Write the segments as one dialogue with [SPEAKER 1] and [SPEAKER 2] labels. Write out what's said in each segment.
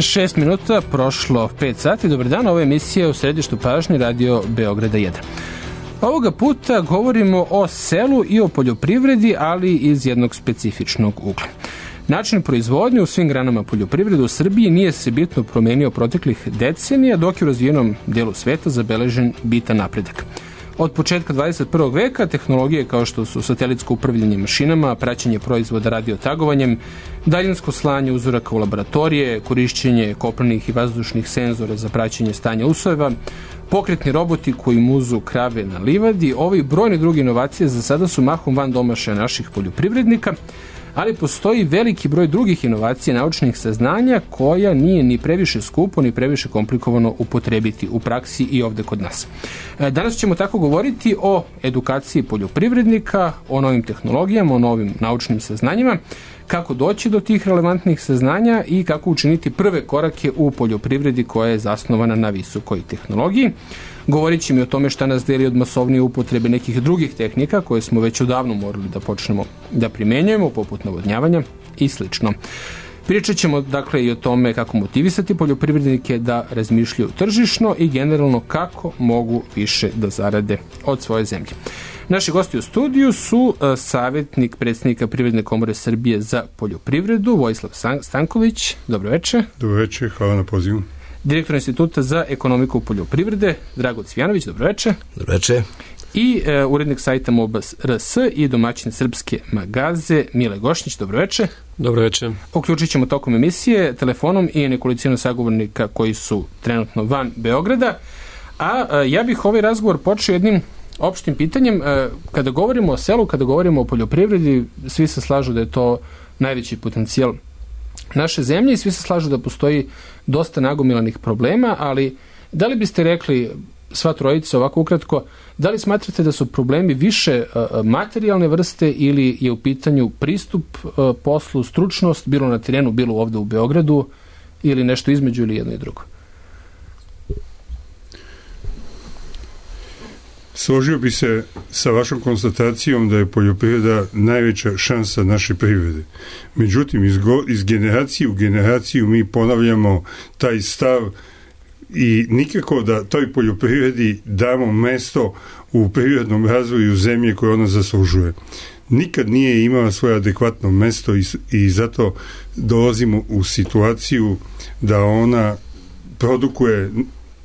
[SPEAKER 1] 6 minuta, prošlo 5 sati. Dobar dan, ovo je emisija u središtu pažnje Radio Beograda 1. Ovoga puta govorimo o selu i o poljoprivredi, ali iz jednog specifičnog ugla. Način proizvodnje u svim granama poljoprivrede u Srbiji nije se bitno promenio proteklih decenija, dok je u razvijenom delu sveta zabeležen bitan napredak. Od početka 21. veka tehnologije kao što su satelitsko upravljanje mašinama, praćenje proizvoda radiotagovanjem, daljinsko slanje uzoraka u laboratorije, korišćenje kopnenih i vazdušnih senzora za praćenje stanja usojeva, pokretni roboti koji muzu krave na livadi, ovi brojne druge inovacije za sada su mahom van domašaja naših poljoprivrednika, ali postoji veliki broj drugih inovacija naučnih saznanja koja nije ni previše skupo, ni previše komplikovano upotrebiti u praksi i ovde kod nas. Danas ćemo tako govoriti o edukaciji poljoprivrednika, o novim tehnologijama, o novim naučnim saznanjima, kako doći do tih relevantnih saznanja i kako učiniti prve korake u poljoprivredi koja je zasnovana na visokoj tehnologiji. Govorit ćemo i o tome šta nas deli od masovnije upotrebe nekih drugih tehnika koje smo već odavno morali da počnemo da primenjujemo, poput navodnjavanja i slično. Pričat ćemo dakle i o tome kako motivisati poljoprivrednike da razmišljaju tržišno i generalno kako mogu više da zarade od svoje zemlje. Naši gosti u studiju su savjetnik predsjednika Privredne komore Srbije za poljoprivredu, Vojislav Stanković. Dobro večer.
[SPEAKER 2] Dobro večer, hvala na pozivu.
[SPEAKER 1] Direktor Instituta za ekonomiku poljoprivrede, Drago Cvijanović. Dobro večer.
[SPEAKER 3] Dobro večer.
[SPEAKER 1] I urednik sajta MOBA.rs i domaćin Srpske magaze, Mile Gošnić. Dobro večer.
[SPEAKER 4] Dobro večer.
[SPEAKER 1] Uključit ćemo tokom emisije telefonom i nekolicinu sagovornika koji su trenutno van Beograda. A ja bih ovaj razgovor počeo jednim opštim pitanjem. Kada govorimo o selu, kada govorimo o poljoprivredi, svi se slažu da je to najveći potencijal naše zemlje i svi se slažu da postoji dosta nagomilanih problema, ali da li biste rekli, sva trojica ovako ukratko, da li smatrate da su problemi više materijalne vrste ili je u pitanju pristup poslu, stručnost, bilo na terenu, bilo ovde u Beogradu, ili nešto između ili jedno i drugo?
[SPEAKER 2] Složio bi se sa vašom konstatacijom da je poljoprivreda najveća šansa naše privrede. Međutim, iz generacije u generaciju mi ponavljamo taj stav i nikako da toj poljoprivredi damo mesto u privrednom razvoju zemlje koje ona zaslužuje. Nikad nije imala svoje adekvatno mesto i zato dolazimo u situaciju da ona produkuje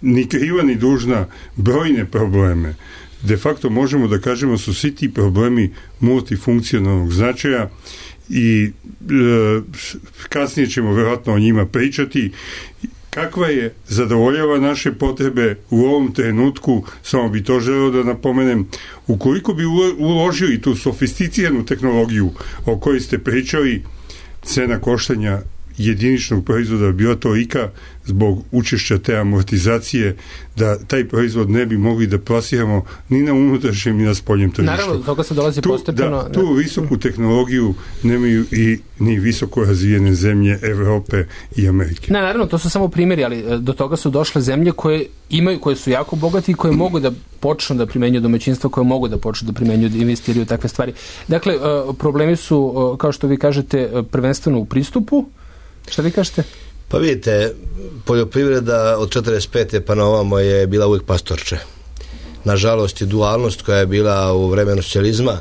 [SPEAKER 2] ni kriva ni dužna brojne probleme. De facto možemo da kažemo su svi ti problemi multifunkcionalnog značaja i kasnije ćemo vjerojatno o njima pričati. Kakva je zadovoljava naše potrebe u ovom trenutku, samo bi to želeo da napomenem, ukoliko bi uložili tu sofisticiranu tehnologiju o kojoj ste pričali, cena koštanja jediničnog proizvoda bila tolika zbog učešća te amortizacije da taj proizvod ne bi mogli da plasiramo ni na unutrašnjem ni na spoljnom tržištu.
[SPEAKER 1] Naravno, toga se dolazi postepeno.
[SPEAKER 2] Tu visoku tehnologiju nemaju i ni visoko razvijene zemlje Evrope i Amerike.
[SPEAKER 1] Naravno, to su samo primjeri, ali do toga su došle zemlje koje su jako bogati i koje mogu da počnu da primenjuju domaćinstva, koje mogu da počnu da primenjuju, da investiraju takve stvari. Dakle, problemi su, kao što vi kažete, prvenstveno u pristupu. Šta vi kažete?
[SPEAKER 3] Pa vidite, poljoprivreda od 45. pa na ovamo je bila uvijek pastorče. Nažalost i dualnost koja je bila u vremenu socijalizma,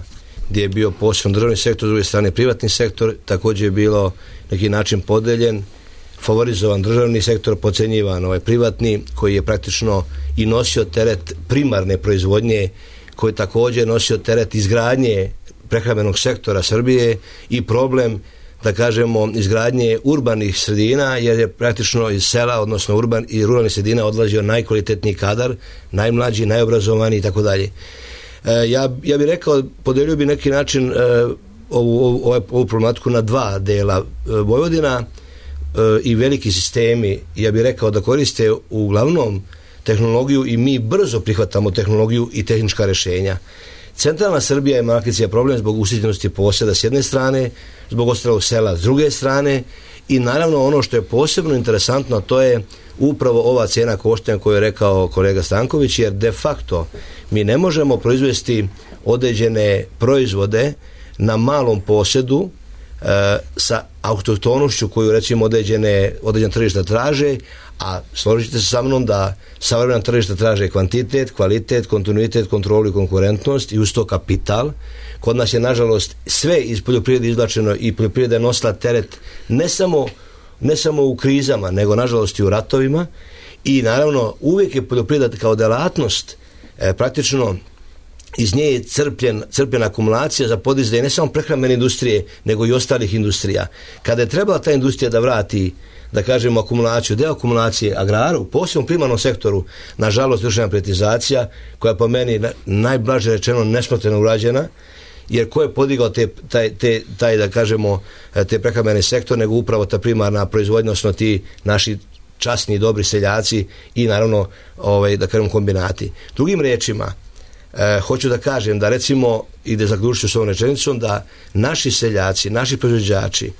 [SPEAKER 3] gdje je bio posebno državni sektor, s druge strane privatni sektor, također je bilo neki način podeljen, favorizovan državni sektor, podcenjivan privatni, koji je praktično i nosio teret primarne proizvodnje, koji je također nosio teret izgradnje prehrambenog sektora Srbije i problem, da kažemo, izgradnje urbanih sredina, jer je praktično iz sela, odnosno i ruralnih sredina odlazio najkvalitetniji kadar, najmlađi, najobrazovaniji i tako dalje. Ja bih rekao, podelio bi neki način ovu problematiku na dva dela. Vojvodina i veliki sistemi, ja bih rekao da koriste uglavnom tehnologiju i mi brzo prihvatamo tehnologiju i tehnička rješenja. Centralna Srbija ima problem zbog usitnjenosti posjeda s jedne strane, zbog ostalog sela s druge strane i naravno ono što je posebno interesantno, to je upravo ova cijena koštanja koju je rekao kolega Stanković, jer de facto mi ne možemo proizvesti određene proizvode na malom posjedu sa autohtonošću koju recimo određene tržišta traže, a složite se sa mnom da savremena tržišta traže kvantitet, kvalitet, kontinuitet, kontrolu i konkurentnost i uz to kapital. Kod nas je nažalost sve iz poljoprivrede izvlačeno i poljoprivreda je nosila teret ne samo u krizama, nego nažalost i u ratovima i naravno uvijek je poljoprivreda kao delatnost praktično iz nje je crpljena akumulacija za podizanje ne samo prehrambene industrije, nego i ostalih industrija. Kada je trebala ta industrija da vrati, da kažemo, akumulaciju, deo akumulacije agraru, posebno primarnom sektoru, nažalost vršena privatizacija, koja po meni najblaže rečeno nesmotreno urađena, jer ko je podigao taj da kažemo, te prehrambene sektor, nego upravo ta primarna proizvodnja, odnosno ti naši časni i dobri seljaci i naravno da kažemo kombinati. Drugim rečima, hoću da kažem da recimo, i da zaključim s ovom rečenicom, da naši seljaci, naši proizvođači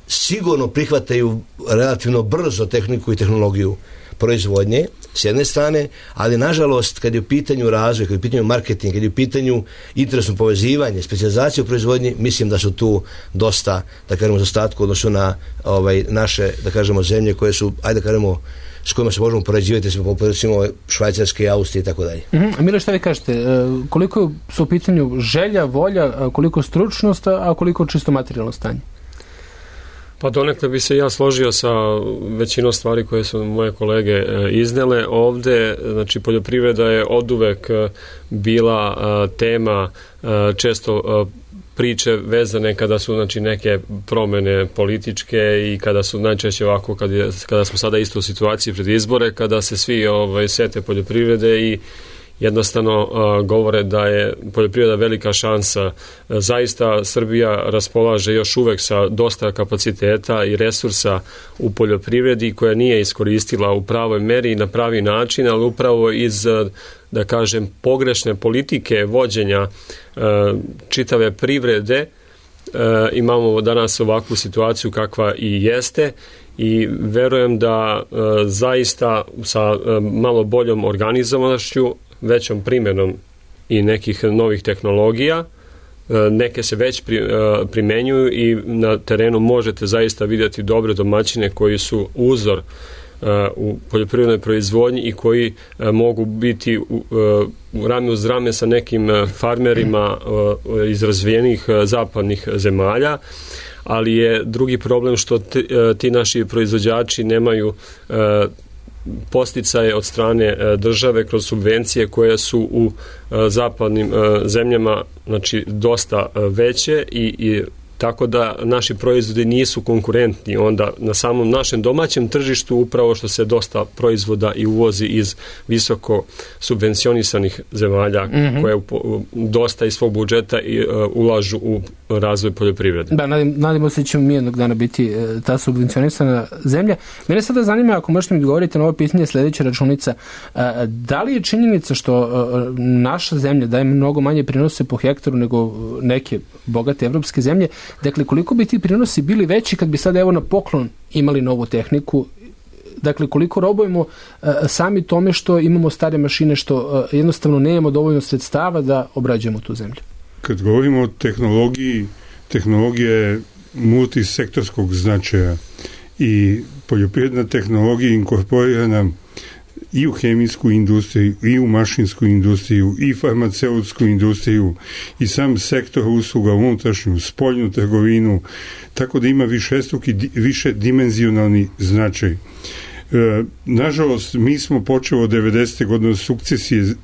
[SPEAKER 3] sigurno prihvataju relativno brzo tehniku i tehnologiju proizvodnje s jedne strane, ali nažalost kad je u pitanju razvoj, kad je u pitanju marketing, kad je u pitanju interesno povezivanje, specijalizacija u proizvodnji, mislim da su tu dosta, da kažemo, zaostatku odnosno na naše, da kažemo, zemlje koje su, ajde da kažemo, s kojima se možemo poređivati, recimo Švajcarske, Austrije i tako dalje.
[SPEAKER 1] Mile, šta vi kažete, koliko su u pitanju želja, volja, koliko stručnost, a koliko čisto materijalno stanje?
[SPEAKER 4] Pa donekle bi se ja složio sa većinom stvari koje su moje kolege iznele. Ovde, znači, poljoprivreda je oduvek bila tema često priče vezane kada su, znači, neke promene političke i kada su najčešće ovako, kada smo sada isto u situaciji pred izbore, kada se svi sete poljoprivrede i jednostavno govore da je poljoprivreda velika šansa. Zaista Srbija raspolaže još uvek sa dosta kapaciteta i resursa u poljoprivredi koja nije iskoristila u pravoj meri i na pravi način, ali upravo iz, da kažem, pogrešne politike vođenja čitave privrede imamo danas ovakvu situaciju kakva i jeste i verujem da zaista sa malo boljom organizovanošću, većom primjenom i nekih novih tehnologija, neke se već primenjuju i na terenu možete zaista vidjeti dobre domaćine koji su uzor u poljoprivrednoj proizvodnji i koji mogu biti u rame uz rame sa nekim farmerima iz razvijenih zapadnih zemalja, ali je drugi problem što ti naši proizvođači nemaju posticaje od strane države kroz subvencije koje su u zapadnim zemljama, znači, dosta veće i tako da naši proizvodi nisu konkurentni onda na samom našem domaćem tržištu, upravo što se dosta proizvoda i uvozi iz visoko subvencionisanih zemalja koje dosta iz svog budžeta ulažu u razvoj poljoprivrede.
[SPEAKER 1] Da, nadimo se da ćemo mi jednog dana biti ta subvencionisana zemlja. Mene sada zanima, ako možete mi odgovoriti na ovo pitanje, sljedeća računica, da li je činjenica što naša zemlja daje mnogo manje prinose po hektaru nego neke bogate evropske zemlje, dakle koliko bi ti prinosi bili veći kad bi sad evo na poklon imali novu tehniku, dakle koliko robujemo sami tome što imamo stare mašine, što jednostavno nemamo dovoljno sredstava da obrađujemo tu zemlju?
[SPEAKER 2] Kad govorimo o tehnologiji, tehnologija je multisektorskog značaja i poljoprivredna tehnologija inkorporirana i u hemijsku industriju, i u mašinsku industriju, i farmaceutsku industriju, i sam sektor usluga, unutrašnju, spoljnu trgovinu, tako da ima više dimenzionalni značaj. Nažalost, mi smo počeli od 90. godine sukcesije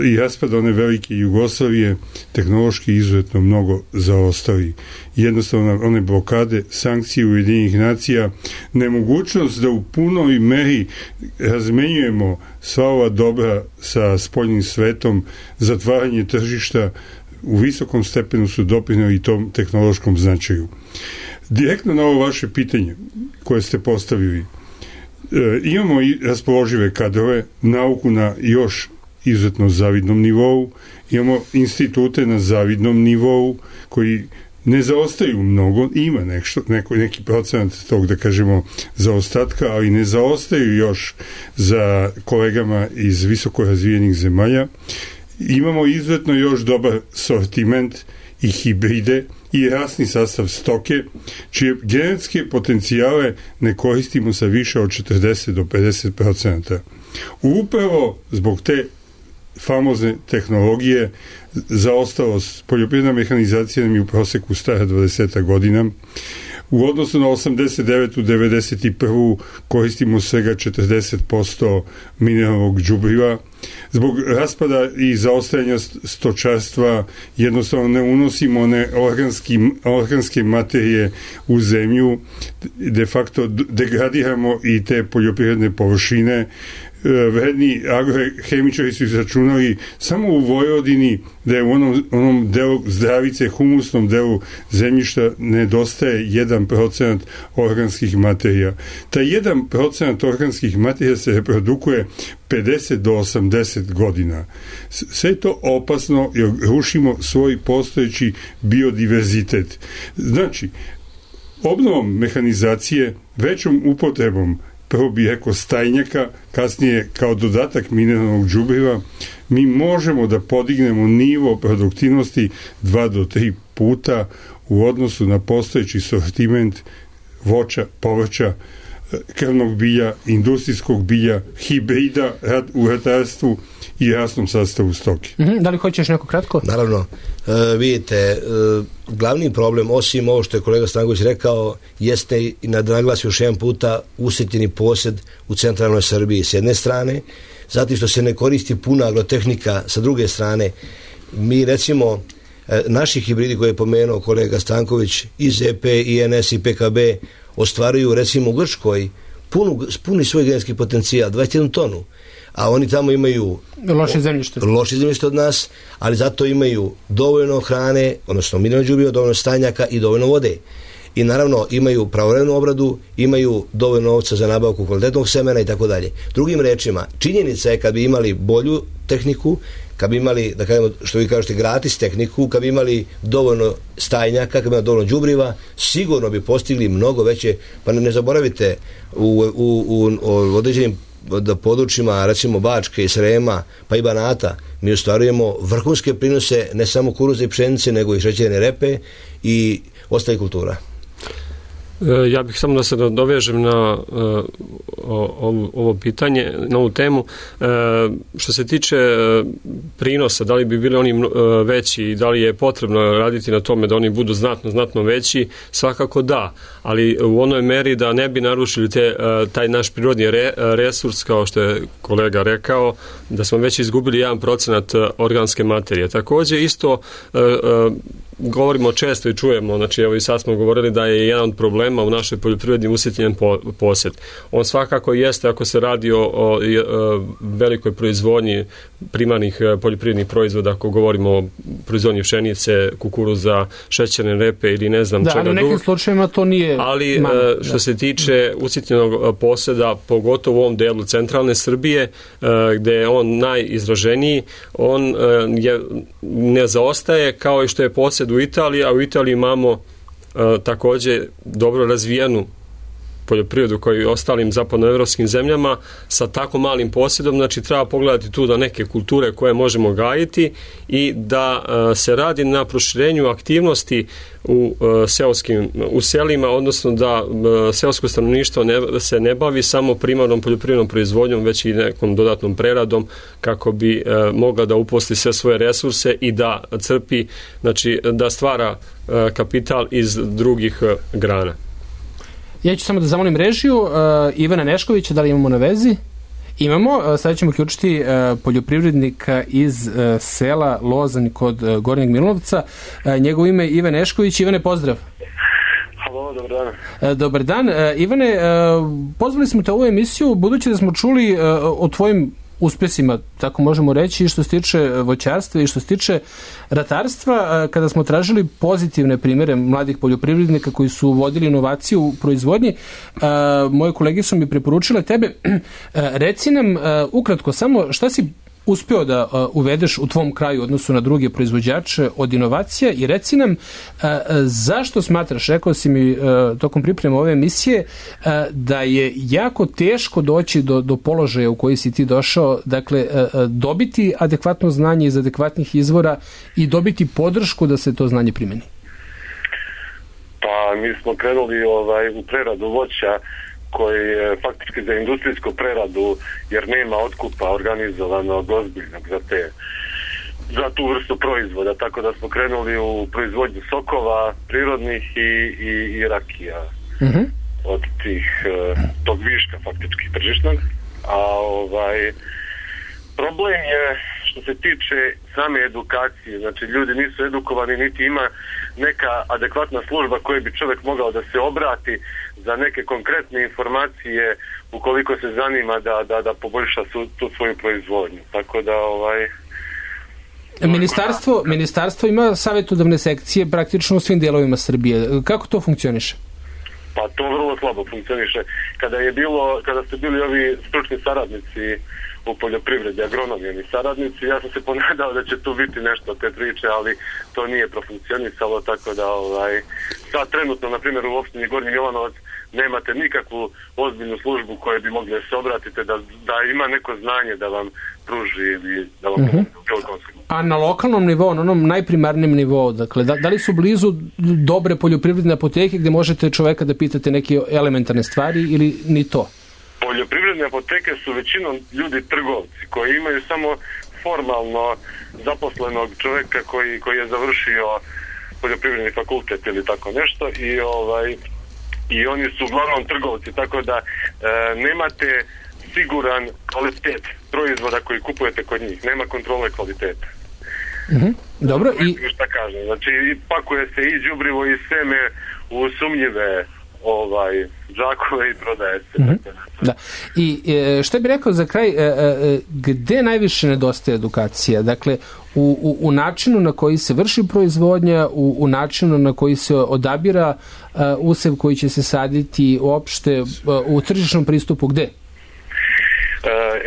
[SPEAKER 2] i raspada one velike Jugoslavije tehnološki izuzetno mnogo zaostali. Jednostavno one blokade, sankcije Ujedinjenih nacija, nemogućnost da u punoj meri razmenjujemo sva ova dobra sa spoljnim svetom, zatvaranje tržišta u visokom stepenu su doprinijeli tom tehnološkom značaju. Direktno na ovo vaše pitanje koje ste postavili, imamo i raspoložive kadrove, nauku na još izuzetno zavidnom nivou, imamo institute na zavidnom nivou koji ne zaostaju mnogo, ima neki procenat tog, da kažemo, zaostatka, ali ne zaostaju još za kolegama iz visoko razvijenih zemalja. Imamo izuzetno još dobar sortiment i hibride i rasni sastav stoke, čije genetske potencijale ne koristimo sa više od 40 do 50%. Upravo zbog te famozne tehnologije zaostalost, poljoprivredna mehanizacija nam je u proseku stara 20 godina. U odnosu na 89. 91. koristimo svega 40% mineralnog đubriva. Zbog raspada i zaostajanja stočarstva jednostavno ne unosimo one organske materije u zemlju, de facto degradiramo i te poljoprivredne površine. Vredni agrohemičari su izračunali samo u Vojvodini da je u onom delu zdravice, humusnom delu zemljišta nedostaje 1% organskih materija. Taj 1% organskih materija se reprodukuje 50 do 80 godina. Sve je to opasno jer rušimo svoj postojeći biodiverzitet. Znači, obnovom mehanizacije, većom upotrebom prvo bih rekao stajnjaka, kasnije kao dodatak mineralnog đubriva, mi možemo da podignemo nivo produktivnosti 2 do 3 puta u odnosu na postojeći sortiment voća, povrća, krvnog bilja, industrijskog bilja, hibrida u ratarstvu i rasnom sastavu stoke.
[SPEAKER 1] Da li hoćeš neko kratko?
[SPEAKER 3] Naravno. Vidite, glavni problem, osim ovo što je kolega Stanković rekao, jeste i naglasio još jedan puta usitnjeni posjed u centralnoj Srbiji s jedne strane, zato što se ne koristi puna agrotehnika sa druge strane. Mi recimo, naši hibridi koje je pomenuo kolega Stanković iz EP, INS i PKB ostvaruju recimo u Grčkoj puni svoj genetski potencijal, 21 tonu. A oni tamo imaju loše zemljište od nas, ali zato imaju dovoljno hrane, odnosno mineralnog đubriva, dovoljno stajnjaka i dovoljno vode. I naravno imaju pravovremenu obradu, imaju dovoljno novca za nabavku kvalitetnog semena i tako dalje. Drugim rečima, činjenica je kad bi imali bolju tehniku, kad bi imali, da kažemo, što vi kažete, gratis tehniku, kad bi imali dovoljno stajnjaka, kad bi imali dovoljno đubriva, sigurno bi postigli mnogo veće, pa ne zaboravite u određenim područjima, recimo Bačke i Srema, pa i Banata, mi ostvarujemo vrhunske prinose ne samo kukuruza i pšenice, nego i šećerne repe i ostalih kultura.
[SPEAKER 4] Ja bih samo da se dovežem na ovo pitanje, na ovu temu. Što se tiče prinosa, da li bi bili oni veći i da li je potrebno raditi na tome da oni budu znatno veći, svakako da, ali u onoj meri da ne bi narušili taj naš prirodni resurs, kao što je kolega rekao, da smo već izgubili 1% organske materije. Također isto govorimo često i čujemo, znači evo i sad smo govorili da je jedan od problema u našoj poljoprivredi usitnjen posjed. On svakako jeste ako se radi o velikoj proizvodnji primarnih poljoprivrednih proizvoda, ako govorimo o proizvodnji pšenice, kukuruza, šećerne repe ili ne znam čega drugog. Da, ali u nekim
[SPEAKER 1] slučajevima to nije
[SPEAKER 4] ali što se tiče usitnjenog posjeda, pogotovo u ovom delu centralne Srbije, gde je on najizraženiji, on ne zaostaje kao i što je posjed u Italiji, a u Italiji imamo također dobro razvijenu poljoprivredu kao i ostalim zapadnoevropskim zemljama sa tako malim posjedom, znači treba pogledati tu da neke kulture koje možemo gajiti i da se radi na proširenju aktivnosti u selima, odnosno da seosko stanovništvo se ne bavi samo primarnom poljoprivrednom proizvodnjom, već i nekom dodatnom preradom kako bi mogla da uposli sve svoje resurse i da crpi, znači da stvara kapital iz drugih grana.
[SPEAKER 1] Ja ću samo da zamolim režiju Ivana Neškovića, da li imamo na vezi? Imamo, sad ćemo uključiti poljoprivrednika iz sela Lozanj kod Gornjeg Milanovca. Njegovo ime je Ivan Nešković. Ivane, pozdrav.
[SPEAKER 5] Halo, dobar dan.
[SPEAKER 1] Dobar dan. Ivane, pozvali smo te u ovu emisiju budući da smo čuli o tvojim uspjesima, tako možemo reći, i što se tiče voćarstva i što se tiče ratarstva, kada smo tražili pozitivne primjere mladih poljoprivrednika koji su vodili inovaciju u proizvodnji, moje kolege su mi preporučile tebe. Reci nam ukratko samo šta si uspeo da uvedeš u tvom kraju u odnosu na druge proizvođače od inovacija i reci nam zašto smatraš, rekao si mi tokom pripreme ove emisije, da je jako teško doći do položaja u koji si ti došao, dakle dobiti adekvatno znanje iz adekvatnih izvora i dobiti podršku da se to znanje primeni.
[SPEAKER 5] Pa mi smo krenuli u preradu voća koji je faktički za industrijsku preradu, jer nema otkupa organizovanog ozbiljnog za tu vrstu proizvoda, tako da smo krenuli u proizvodnju sokova prirodnih i rakija od tog viška faktički tržišnog. A problem je što se tiče same edukacije, znači ljudi nisu edukovani, niti ima neka adekvatna služba koje bi čovjek mogao da se obrati za neke konkretne informacije ukoliko se zanima da poboljša tu svoju proizvodnju. Tako da
[SPEAKER 1] Ministarstvo ima savjetodavne sekcije praktično u svim dijelovima Srbije. Kako to funkcioniše?
[SPEAKER 5] Pa to vrlo slabo funkcioniše. Kada ste bili ovi stručni saradnici u poljoprivredi, agronomijeni saradnici, ja sam se ponadao da će tu biti nešto od te priče, ali to nije profunkcionisalo, tako da sad trenutno, na primjer, u opštini Gornji Milanovac nemate nikakvu ozbiljnu službu koje bi mogli se obratiti da ima neko znanje da vam pruži ili da vam pomogne u bilo kom smislu.
[SPEAKER 1] A na lokalnom nivou, na onom najprimarnijem nivou, dakle, da li su blizu dobre poljoprivredne apoteke gdje možete čoveka da pitate neke elementarne stvari ili ni to?
[SPEAKER 5] Poljoprivredne apoteke su većinom ljudi trgovci koji imaju samo formalno zaposlenog čoveka koji je završio poljoprivredni fakultet ili tako nešto i oni su uglavnom trgovci, tako da nemate siguran kvalitet proizvoda koji kupujete kod njih, nema kontrole kvaliteta.
[SPEAKER 1] Dobro.
[SPEAKER 5] Šta kažem, znači pakuje se i đubrivo i seme u sumnjive džakove i prodaje se.
[SPEAKER 1] Da. I što bi rekao za kraj, gde najviše nedostaje edukacija? Dakle, u načinu na koji se vrši proizvodnja, u načinu na koji se odabira usev koji će se saditi, uopšte u tržišnom pristupu, gde?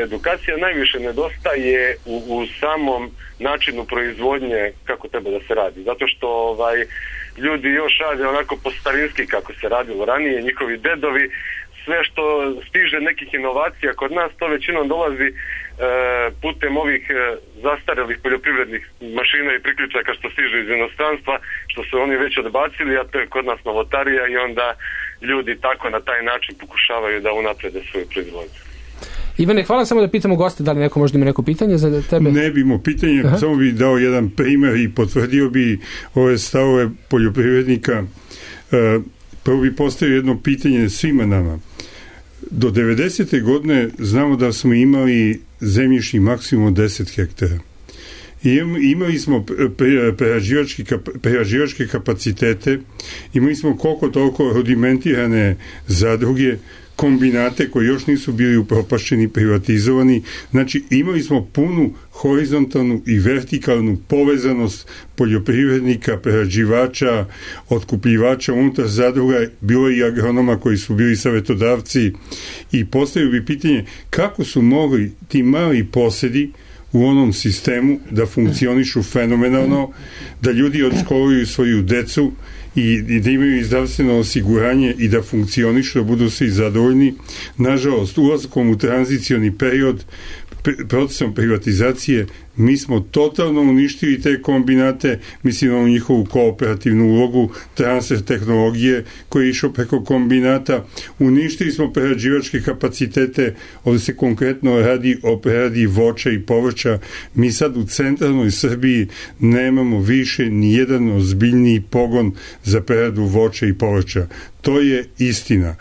[SPEAKER 5] Edukacija najviše nedostaje u samom načinu proizvodnje kako treba da se radi. Zato što ljudi još rade onako po starinski kako se radilo ranije, njihovi dedovi, sve što stiže nekih inovacija kod nas, to većinom dolazi putem ovih zastarelih poljoprivrednih mašina i priključaka što stiže iz inostranstva, što su oni već odbacili, a to je kod nas novotarija i onda ljudi tako na taj način pokušavaju da unaprede svoju proizvodnju.
[SPEAKER 1] Ivane, hvala, samo da pitamo goste da li neko možda ima neko pitanje za tebe?
[SPEAKER 2] Ne bi imao pitanje, samo bi dao jedan primer i potvrdio bi ove stavove poljoprivrednika. Prvo bi postavio jedno pitanje svima nama. Do 90. godine znamo da smo imali zemljišni maksimum 10 hektara. I imali smo prerađivačke kapacitete, imali smo koliko toliko rudimentirane zadruge, kombinate koji još nisu bili upropašćeni, privatizovani. Znači, imali smo punu horizontalnu i vertikalnu povezanost poljoprivrednika, prerađivača, otkupljivača unutar zadruga, bilo i agronoma koji su bili savjetodavci, i postavio bi pitanje kako su mogli ti mali posedi u onom sistemu da funkcionišu fenomenalno, da ljudi odškoluju svoju decu i da imaju zdravstveno osiguranje i da funkcionišu, da budu svi zadovoljni. Nažalost, ulaskom u tranzicioni period, procesom privatizacije, mi smo totalno uništili te kombinate, mislim na njihovu kooperativnu ulogu, transfer tehnologije koji je išao preko kombinata, uništili smo prerađivačke kapacitete, ovdje se konkretno radi o preradi voća i povrća. Mi sad u centralnoj Srbiji nemamo više ni jedan ozbiljniji pogon za preradu voća i povrća. To je istina.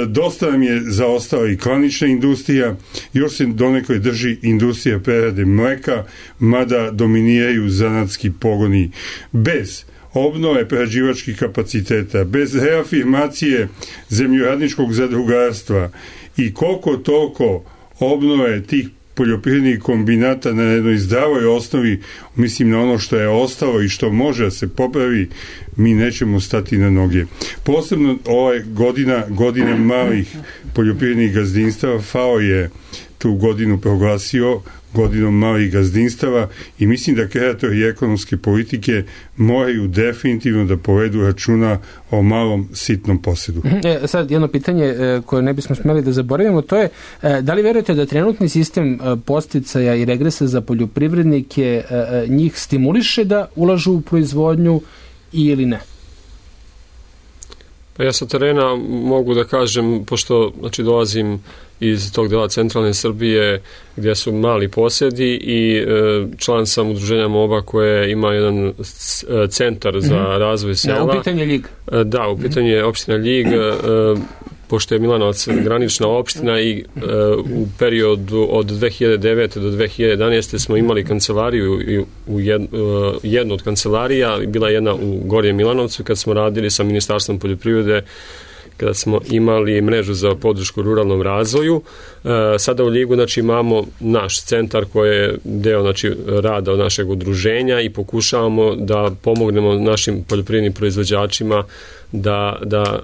[SPEAKER 2] Dosta nam je zaostala i klanična industrija, još se donekle drži industrija prerade mleka, mada dominiraju zanatski pogoni. Bez obnove prerađivačkih kapaciteta, bez reafirmacije zemljoradničkog zadrugarstva i koliko toliko obnove tih poljoprivrednih kombinata na jednoj zdravoj osnovi, mislim na ono što je ostalo i što može da se popravi, mi nećemo stati na noge. Posebno ove godine malih poljoprivrednih gazdinstava, FAO je tu godinu proglasio godinom malih gazdinstava i mislim da kreatori ekonomske politike moraju definitivno da povedu računa o malom sitnom posedu.
[SPEAKER 1] Sad jedno pitanje koje ne bismo smeli da zaboravimo, to je da li verujete da trenutni sistem podsticaja i regresa za poljoprivrednike njih stimuliše da ulažu u proizvodnju ili ne?
[SPEAKER 4] Pa ja sa terena mogu da kažem, pošto dolazim iz tog dela centralne Srbije gdje su mali posjedi i član sam udruženja MOBA koje ima jedan centar za razvoj sela.
[SPEAKER 1] Da, u pitanju je Ljig.
[SPEAKER 4] Da, u pitanju je opština Ljig, pošto je Milanovac granična opština i u periodu od 2009. do 2011. smo imali kancelariju u jednu od kancelarija, bila jedna u Gornjem Milanovcu kad smo radili sa Ministarstvom poljoprivrede, kada smo imali mrežu za podršku ruralnom razvoju. Sada u Ljigu imamo naš centar koji je deo rada od našeg udruženja i pokušavamo da pomognemo našim poljoprivrednim proizvođačima da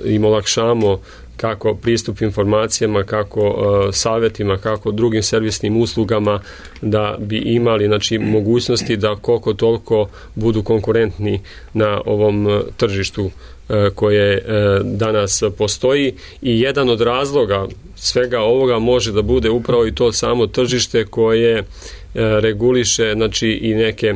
[SPEAKER 4] im olakšamo kako pristup informacijama, kako savjetima, kako drugim servisnim uslugama da bi imali mogućnosti da koliko toliko budu konkurentni na ovom tržištu koje danas postoji i jedan od razloga svega ovoga može da bude upravo i to samo tržište koje reguliše i neke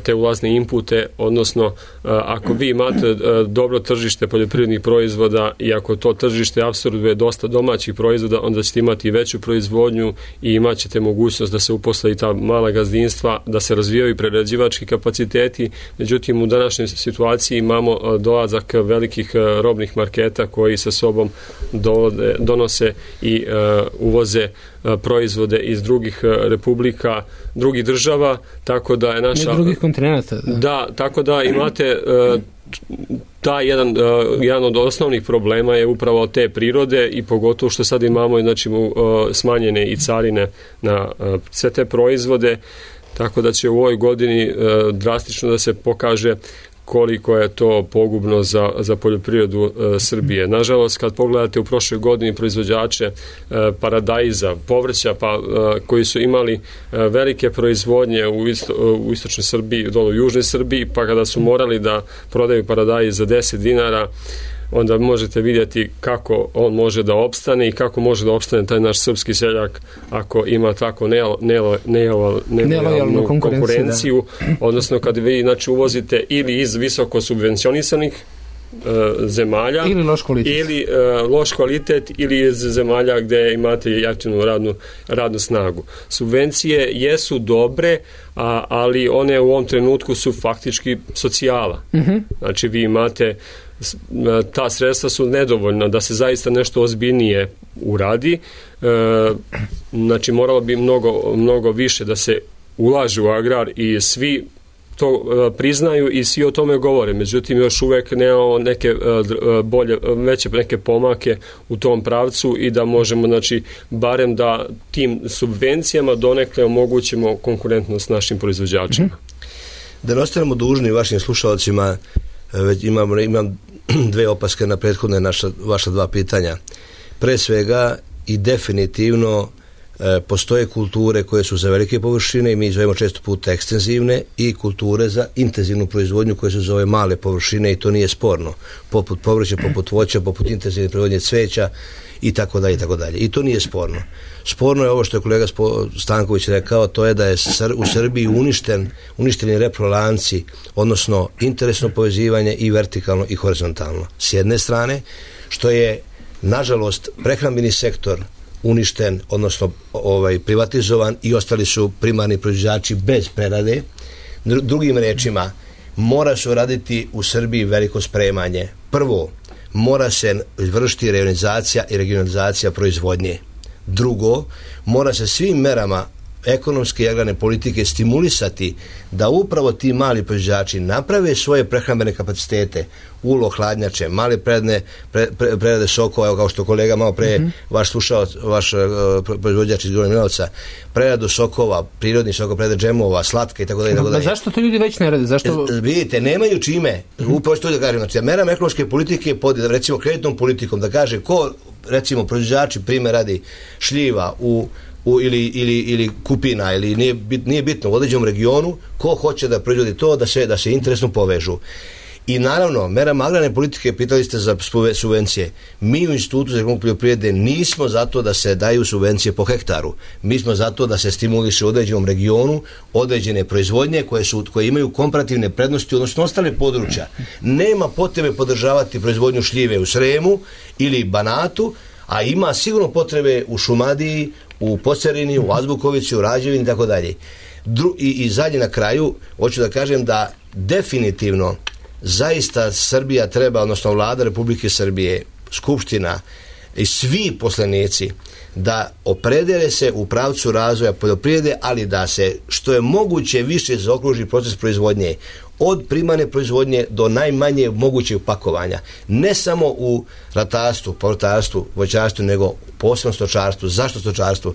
[SPEAKER 4] te ulazne inpute, odnosno ako vi imate dobro tržište poljoprivrednih proizvoda i ako to tržište apsorbuje dosta domaćih proizvoda, onda ćete imati veću proizvodnju i imat ćete mogućnost da se uposle i ta mala gazdinstva, da se razvijaju prerađivački kapaciteti. Međutim, u današnjoj situaciji imamo dolazak velikih robnih marketa koji sa sobom donose i uvoze proizvode iz drugih republika, drugih država, tako da je naša...
[SPEAKER 1] Ne drugih kontinenta.
[SPEAKER 4] Da, tako da imate taj jedan od osnovnih problema je upravo te prirode i pogotovo što sad imamo smanjene i carine na sve te proizvode, tako da će u ovoj godini drastično da se pokaže koliko je to pogubno za poljoprivredu Srbije. Nažalost, kad pogledate u prošloj godini proizvođače paradajza, povrća, koji su imali velike proizvodnje u istočnoj Srbiji, dole u južnoj Srbiji, pa kada su morali da prodaju paradajz za 10 dinara, onda možete vidjeti kako on može da opstane i kako može da opstane taj naš srpski seljak ako ima tako nelojalnu konkurenciju, odnosno kad vi uvozite ili iz visoko subvencionisanih zemalja ili loš kvalitet ili iz zemalja gdje imate jeftinu radnu snagu. Subvencije jesu dobre, ali one u ovom trenutku su faktički socijala. Znači vi imate ta sredstva su nedovoljna da se zaista nešto ozbiljnije uradi. Znači moralo bi mnogo više da se ulaže u agrar i svi to priznaju i svi o tome govore. Međutim, još uvek nemamo neke veće neke pomake u tom pravcu i da možemo, barem da tim subvencijama donekle omogućimo konkurentnost našim proizvođačima.
[SPEAKER 3] Da ne ostanemo dužni vašim slušalcima, imam dve opaske na prethodne vaša dva pitanja. Pre svega i definitivno postoje kulture koje su za velike površine i mi zovemo često puta ekstenzivne i kulture za intenzivnu proizvodnju koje su za ove male površine i to nije sporno. Poput povrća, poput voća, poput intenzivne proizvodnje cveća i tako dalje i tako dalje. I to nije sporno. Sporno je ovo što je kolega Stanković rekao, to je da je u Srbiji uništeni reprolanci, odnosno interesno povezivanje i vertikalno i horizontalno. S jedne strane, što je nažalost prehrambeni sektor uništen, odnosno privatizovan i ostali su primarni proizvođači bez prerade. Drugim rečima, mora se uraditi u Srbiji veliko spremanje. Prvo, mora se izvršiti reorganizacija i regionalizacija proizvodnje. Drugo, mora se svim merama ekonomske i agrarne politike stimulisati da upravo ti mali proizvođači naprave svoje prehrambene kapacitete, ulo, hladnjače, male prerade sokova, kao što kolega malo pre vaš proizvođač iz Gornjeg Milanovca, preradu sokova, prirodni sokova, prerade džemova, slatka i tako dalje.
[SPEAKER 1] Zašto to ljudi već ne rade? Zašto?
[SPEAKER 3] Vidite, nemaju čime. Upravo što da kažem, merama ekonomske politike pod recimo kreditnom politikom, da kaže ko recimo proizvođači, primjer radi, šljiva ili kupina, ili nije bitno u određenom regionu, ko hoće da proizvodi to, da se interesno povežu. I naravno, merama agrarne politike, pitali ste za subvencije. Mi u Institutu za ekonomiju poljoprivrede nismo zato da se daju subvencije po hektaru. Mi smo zato da se stimuliše u određenom regionu određene proizvodnje koje imaju komparativne prednosti, odnosno ostale područja. Nema potrebe podržavati proizvodnju šljive u Sremu ili Banatu, a ima sigurno potrebe u Šumadiji, u Pocerini, u Azbukovici, u Rađevini i tako dalje. I zadnje na kraju, hoću da kažem da definitivno zaista Srbija treba, odnosno Vlada Republike Srbije, Skupština i svi poslanici da opredele se u pravcu razvoja poljoprivrede, ali da se što je moguće više zaokruži proces proizvodnje, od primarne proizvodnje do najmanje mogućeg pakovanja. Ne samo u ratarstvu, povrtarstvu, voćarstvu, nego posebno stočarstvu. Zašto stočarstvu?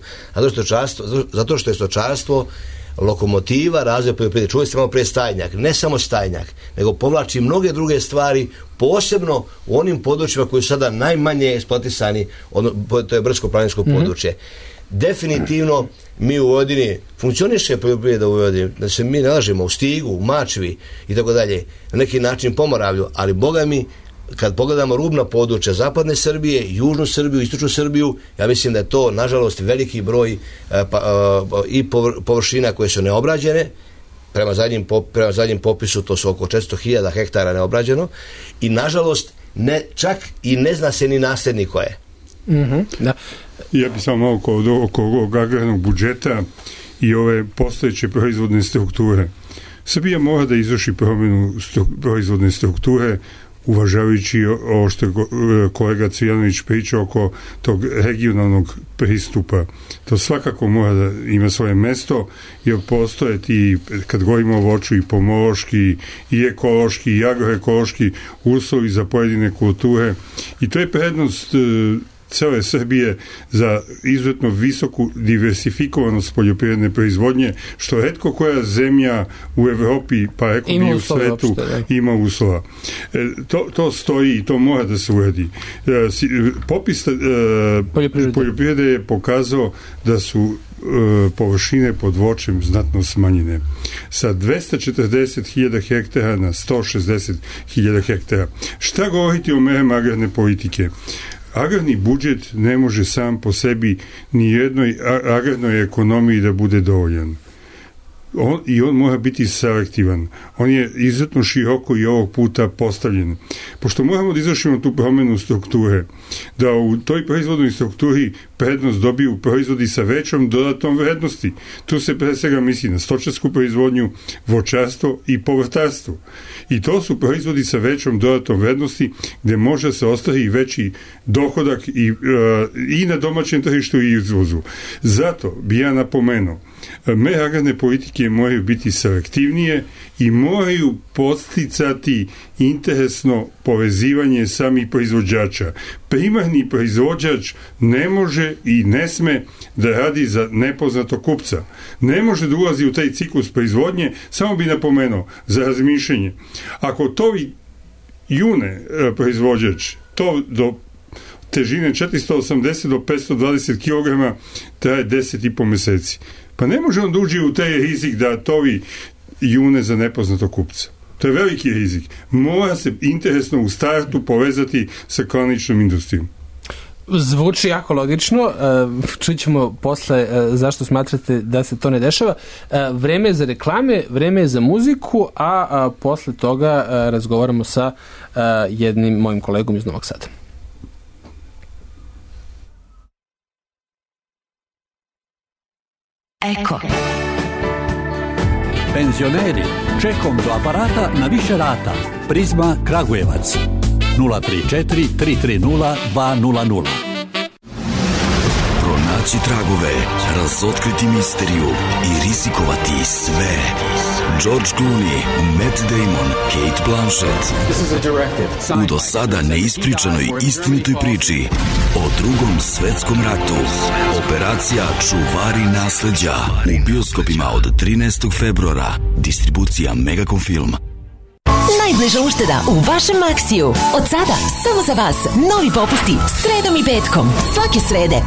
[SPEAKER 3] Zato što je stočarstvo lokomotiva razvoja poljoprivrede. Čuli ste malo pre stajnjak, ne samo stajnjak, nego povlači mnoge druge stvari, posebno u onim područjima koji su sada najmanje eksploatisani, to je brdsko-planinsko područje. Definitivno mi u Vojvodini funkcioniše poljoprivreda u Vojvodini, da se mi ne lažemo, u Stigu, u Mačvi i tako dalje, na neki način Pomoravlju, ali Boga mi, kad pogledamo rubna područja zapadne Srbije, južnu Srbiju, istočnu Srbiju, ja mislim da je to, nažalost, veliki broj i površina koje su neobrađene. Prema zadnjem popisu to su oko 400.000 hektara neobrađeno i, nažalost, čak i ne zna se ni nasljednik ko je.
[SPEAKER 1] Da.
[SPEAKER 2] Ja bih samo malo oko ovog agrarnog budžeta i ove postojeće proizvodne strukture. Srbija mora da izvrši promjenu proizvodne strukture, uvažavajući ovo što je kolega Cvijanović pričao oko tog regionalnog pristupa. To svakako mora da ima svoje mesto, jer postoje ti, kad govorimo o voću, i pomološki, i ekološki, i agroekološki uslovi za pojedine kulture. I to je prednost cele Srbije za izuzetno visoku diversifikovanost poljoprivredne proizvodnje, što retko koja zemlja u Evropi, pa rekao bi u svetu, ima uslova. To stoji i to mora da se uradi. Popis poljoprivrede je pokazao da su površine pod voćem znatno smanjene. Sa 240.000 hektara na 160.000 hektara. Šta govoriti o merama agrarne politike? Agrarni budžet ne može sam po sebi ni jednoj agrarnoj ekonomiji da bude dovoljan. On mora biti selektivan. On je izuzetno široko i ovog puta postavljen. Pošto moramo da izvršimo tu promjenu strukture, da u toj proizvodnoj strukturi prednost dobiju proizvodi sa većom dodatnom vrednosti. Tu se pre svega misli na stočarsku proizvodnju, voćarstvo i povrtarstvo. I to su proizvodi sa većom dodatnom vrednosti gde može se ostvari veći dohodak i na domaćem tržištu i izvozu. Zato bi ja napomenuo, mere agrarne politike moraju biti selektivnije i moraju podsticati interesno povezivanje samih proizvođača. Primarni proizvođač ne može i ne sme da radi za nepoznatog kupca. Ne može da ulazi u taj ciklus proizvodnje, samo bi napomenuo za razmišljanje. Ako tovi june proizvođač, to do težine 480 do 520 kg traje 10,5 meseci. Pa ne može on da uđe u taj rizik da tovi june za nepoznatog kupca. To je veliki rizik. Mora se interesno u startu povezati sa klaničnom industrijom.
[SPEAKER 1] Zvuči jako logično. Čućemo posle zašto smatrate da se to ne dešava. Vreme je za reklame, vreme je za muziku, a posle toga razgovaramo sa jednim mojim kolegom iz Novog Sada.
[SPEAKER 6] Eko. Penzioneri, čekom do aparata na više rata. Prizma Kragujevac 034 330 200.
[SPEAKER 7] Pronaći tragove, razotkriti misteriju i rizikovati sve. George Clooney, Matt Damon, Kate Blanchett. U do sada neispričanoj istinitoj priči o Drugom svetskom ratu. Operacija Čuvari nasleđa u bioskopima od 13. februara. Distribucija Megacom Film.
[SPEAKER 8] Najbliža ušteda u vašem Maxiju. Od sada samo za vas novi popusti sredom i petkom. Svake srede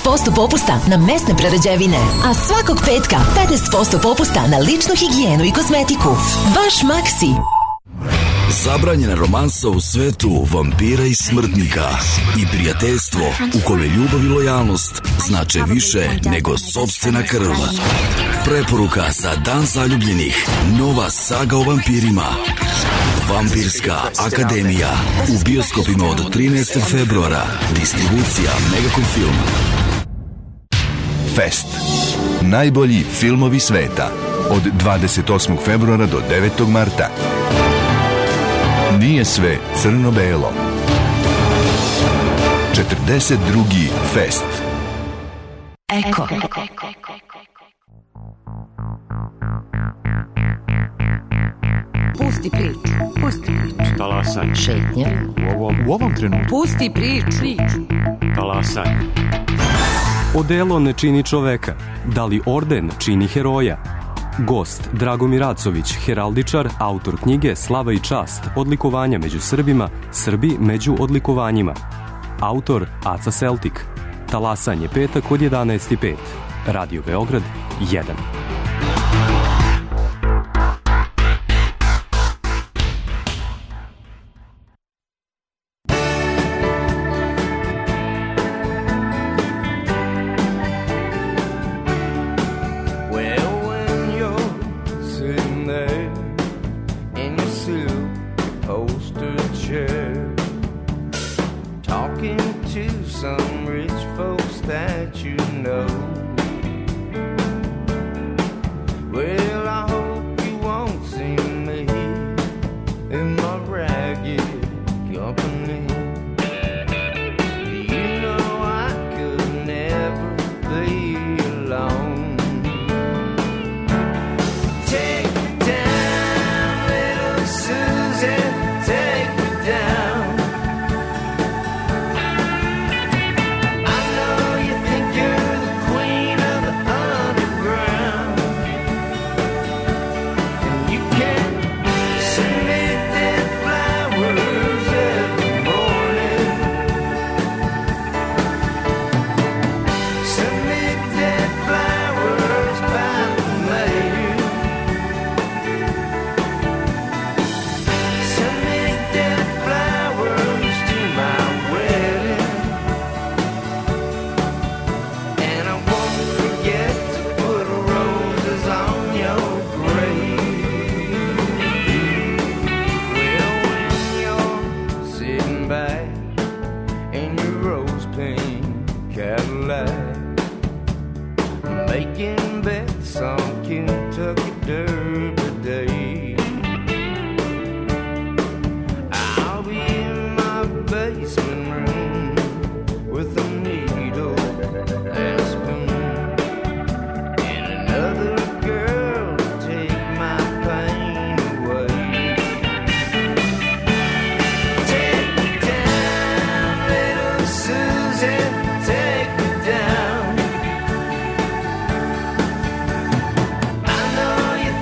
[SPEAKER 8] 15% popusta na mesne prerađevine, a svakog petka 15% popusta na ličnu higijenu i kozmetiku. Vaš Maxi.
[SPEAKER 7] Zabranjena romansa u svetu vampira i smrtnika i prijateljstvo u kome ljubav i lojalnost znače više nego sopstvena krv. Preporuka za Dan zaljubljenih. Nova saga o vampirima. Vampirska akademija. U bioskopima od 13. februara. Distribucija Megacom Film.
[SPEAKER 9] Fest. Najbolji filmovi sveta. Od 28. februara do 9. marta. Nije sve crno-belo. 42. Fest.
[SPEAKER 8] Eko.
[SPEAKER 10] Pusti priču. Pusti priču.
[SPEAKER 11] Talasaj.
[SPEAKER 8] Šetnja.
[SPEAKER 11] U ovom trenutku.
[SPEAKER 10] Pusti priču.
[SPEAKER 11] Talasaj. Odelo ne čini čoveka. Da li orden čini heroja? Gost Dragomir Acović, heraldičar, autor knjige Slava i čast, odlikovanja među Srbima, Srbi među odlikovanjima. Autor Aca Celtic. Talasanje petak od 11:05. Radio Beograd 1.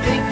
[SPEAKER 12] Think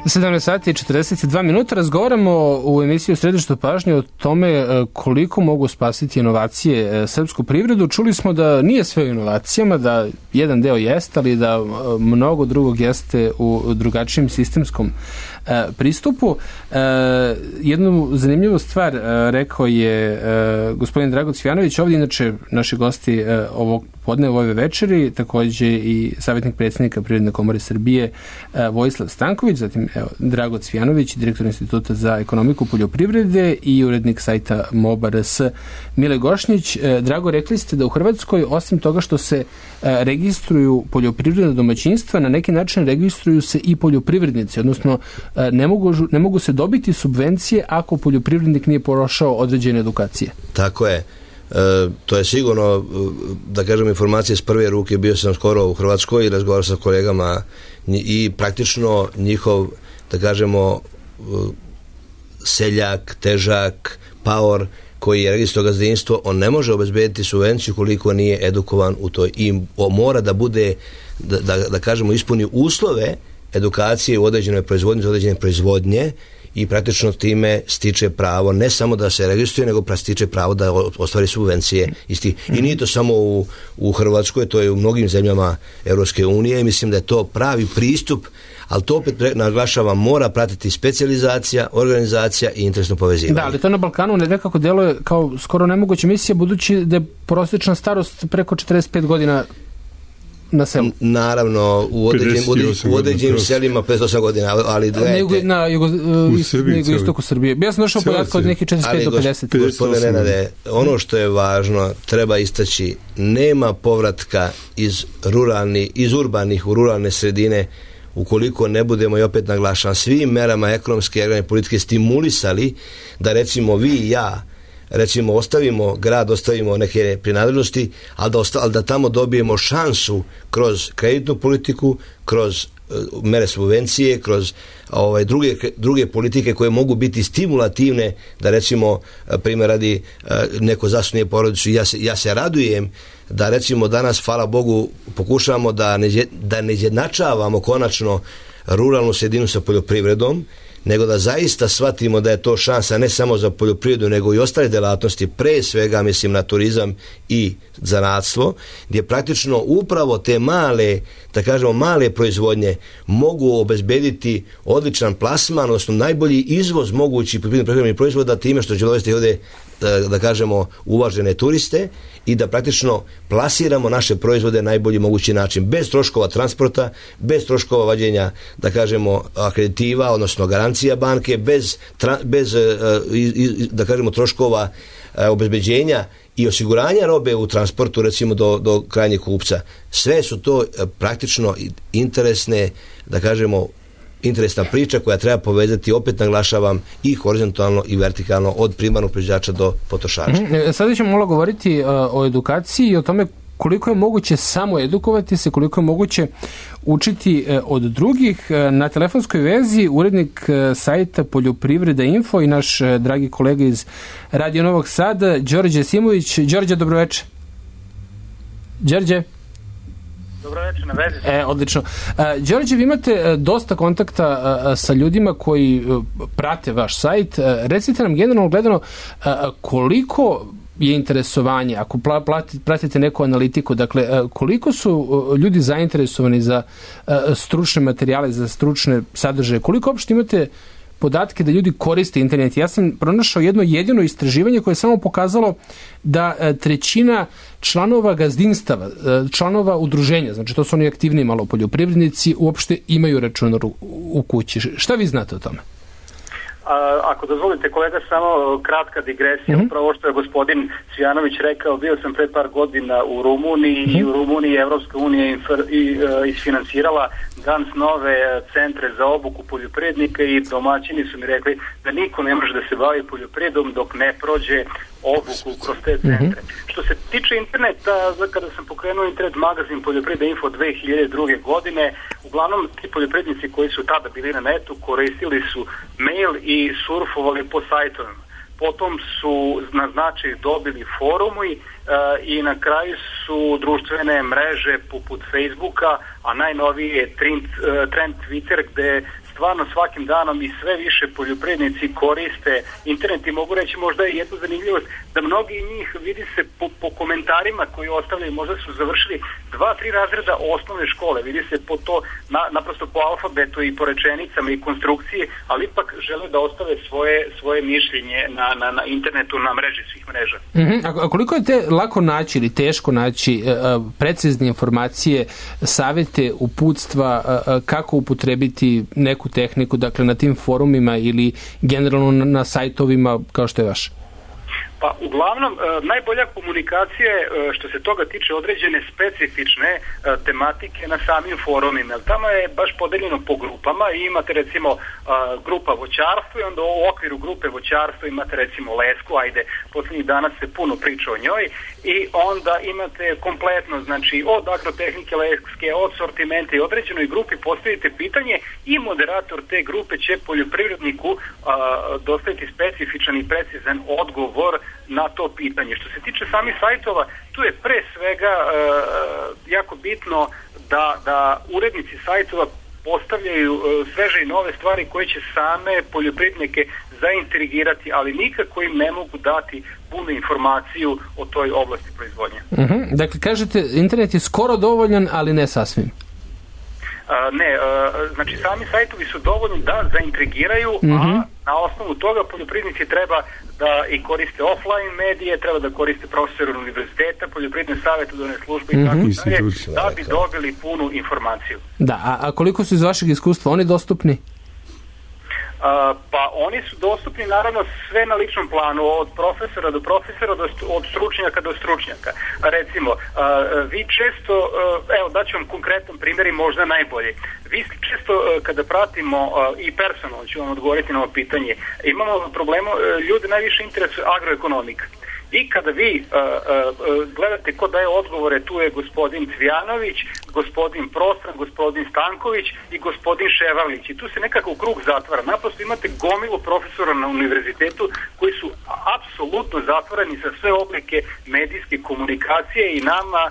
[SPEAKER 1] 17 sati i 42 minuta. Razgovaramo u emisiji u Središtu pažnje o tome koliko mogu spasiti inovacije srpsku privredu. Čuli smo da nije sve u inovacijama, da jedan deo jeste, ali da mnogo drugog jeste u drugačijem sistemskom pristupu. Jednu zanimljivu stvar rekao je gospodin Drago Cvijanović, ovdje inače naši gosti ovog podne u ove večeri, takođe i savjetnik predsjednika Privredne komore Srbije Vojislav Stanković, zatim Drago Cvijanović, direktor Instituta za ekonomiku poljoprivrede i urednik sajta MOBA.rs Mile Gošnjić. Drago, rekli ste da u Hrvatskoj, osim toga što se registruju poljoprivredna domaćinstva, na neki način registruju se i poljoprivrednici, odnosno ne mogu se dobiti subvencije ako poljoprivrednik nije prošao određene edukacije.
[SPEAKER 3] Tako je. To je sigurno, da kažem, informacije s prve ruke. Bio sam skoro u Hrvatskoj i razgovarao sa kolegama i praktično njihov, da kažemo, seljak, težak, paor koji je registro gazdinstvo, on ne može obezbediti subvenciju koliko nije edukovan u toj, i mora da bude, da kažemo, ispuni uslove edukacije u određenoj proizvodnji, određene proizvodnje, i praktično time stiče pravo ne samo da se registruje, nego stiče pravo da ostvari subvencije isti. I nije to samo u Hrvatskoj, to je u mnogim zemljama Europske unije i mislim da je to pravi pristup, ali to opet naglašavam, mora pratiti specijalizacija, organizacija i interesno povezivanje.
[SPEAKER 1] Da, ali to na Balkanu nekako deluje kao skoro nemoguća misija, budući da je prosječna starost preko 45 godina na selu.
[SPEAKER 3] Naravno, u određenim selima 58 godina, ali gledajte.
[SPEAKER 1] Na jugoistoku Srbije. Ja sam došao podatka od nekih 45 do 50.
[SPEAKER 3] Gospodine Nenade, ono što je važno, treba istaći, nema povratka iz urbanih u ruralne sredine ukoliko ne budemo, i opet naglašavam, svim merama ekonomske i agrarne politike stimulisali da recimo vi i ja recimo ostavimo grad, ostavimo neke prinadležnosti, ali da tamo dobijemo šansu kroz kreditnu politiku, kroz mere subvencije, kroz druge politike koje mogu biti stimulativne, da recimo, primjer radi, neko zasnuje porodicu. Ja se radujem da recimo danas, hvala Bogu, pokušamo da ne izjednačavamo konačno ruralnu sredinu sa poljoprivredom, nego da zaista shvatimo da je to šansa ne samo za poljoprivredu, nego i ostale delatnosti, pre svega mislim na turizam i zanatstvo, gdje praktično upravo te male, da kažemo male proizvodnje mogu obezbediti odličan plasman, odnosno najbolji izvoz mogući prehrambenih proizvoda time što će dovesti ovdje, da kažemo, uvažene turiste i da praktično plasiramo naše proizvode na najbolji mogući način, bez troškova transporta, bez troškova vađenja, da kažemo, akreditiva, odnosno garancija banke, bez da kažemo, troškova obezbeđenja i osiguranja robe u transportu, recimo do krajnjeg kupca. Sve su to praktično interesne, da kažemo, interesna priča koja treba povezati, opet naglašavam, i horizontalno i vertikalno od primarnog proizvođača do potrošača.
[SPEAKER 1] Sada ćemo malo govoriti o edukaciji i o tome koliko je moguće samo edukovati se, koliko je moguće učiti od drugih. Na telefonskoj vezi urednik sajta Poljoprivreda Info i naš dragi kolega iz Radio Novog Sada, Đorđe Simović. Đorđe, dobroveče. Đorđe?
[SPEAKER 12] Dobro večer, na vezi.
[SPEAKER 1] Odlično. Đorđe, vi imate dosta kontakta sa ljudima koji prate vaš sajt. Recite nam generalno gledano koliko je interesovanje, ako pratite neku analitiku, dakle, koliko su ljudi zainteresovani za stručne materijale, za stručne sadržaje, koliko uopšte imate podatke da ljudi koriste internet. Ja sam pronašao jedno jedino istraživanje koje je samo pokazalo da trećina članova gazdinstava, članova udruženja, znači to su oni aktivni malo poljoprivrednici, uopšte imaju računar u kući. Šta vi znate o tome?
[SPEAKER 12] Ako dozvolite, kolega, samo kratka digresija. Upravo ovo što je gospodin Cvijanović rekao, bio sam pred par godina u Rumuniji i u Rumuniji Evropska unija isfinansirala danas nove centre za obuku poljoprivrednika i domaćini su mi rekli da niko ne može da se bavi poljoprivredom dok ne prođe obuku kroz te centre. Što se tiče interneta, kada sam pokrenuo internet magazin Poljoprivreda Info 2002. godine, uglavnom ti poljoprivrednici koji su tada bili na netu koristili su mail i surfovali po sajtovima. Potom su na značaj dobili forumi i na kraju su društvene mreže poput Facebooka, a najnoviji je trend Twitter, gde stvarno svakim danom i sve više poljoprivrednici koriste internet i mogu reći možda je jednu zanimljivost da mnogi njih vidi se po komentarima koji ostavljaju, možda su završili 2-3 razreda osnovne škole, vidi se po to naprosto po alfabetu i po rečenicama i konstrukciji, ali ipak žele da ostave svoje mišljenje na internetu, na mreži svih mreža.
[SPEAKER 1] A koliko je lako naći ili teško naći precizne informacije, savjete, uputstva, kako upotrebiti neku tehniku, dakle na tim forumima ili generalno na sajtovima kao što je vaš?
[SPEAKER 12] Pa uglavnom najbolja komunikacija je što se toga tiče određene specifične tematike na samim forumima. Tamo je baš podeljeno po grupama i imate recimo grupa voćarstvo i onda u okviru grupe voćarstvo imate recimo lesku, ajde posljednjih dana se puno priča o njoj i onda imate kompletno, znači od agrotehnike leske, od sortimenta i određenoj grupi postavite pitanje i moderator te grupe će poljoprivredniku dostaviti specifičan i precizan odgovor na to pitanje. Što se tiče samih sajtova, tu je pre svega jako bitno da urednici sajtova postavljaju sveže i nove stvari koje će same poljoprivrednike zaintrigirati, ali nikako im ne mogu dati punu informaciju o toj oblasti proizvodnje.
[SPEAKER 1] Dakle, kažete, internet je skoro dovoljan, ali ne sasvim.
[SPEAKER 12] Znači sami sajtovi su dovoljni da zaintrigiraju, a na osnovu toga poljoprivrednici treba da i koriste offline medije, treba da koriste profesore univerziteta, poljoprivredne savjetodavne službe i tako dalje, da bi dobili punu informaciju.
[SPEAKER 1] Da, a koliko su iz vašeg iskustva oni dostupni?
[SPEAKER 12] Pa oni su dostupni naravno sve na ličnom planu, od profesora do profesora, od stručnjaka do stručnjaka. Recimo, vi često, evo daću vam konkretan primjer i možda najbolji. Vi često kada pratimo i personalno ću vam odgovoriti na ovo pitanje, imamo problemu, ljudi najviše interesuje agroekonomika. I kada vi gledate ko daje odgovore, tu je gospodin Cvijanović, gospodin Prostran, gospodin Stanković i gospodin Ševarlić. I tu se nekako u krug zatvara. Naprosto imate gomilu profesora na univerzitetu koji su apsolutno zatvoreni sa sve oblike medijske komunikacije i nama,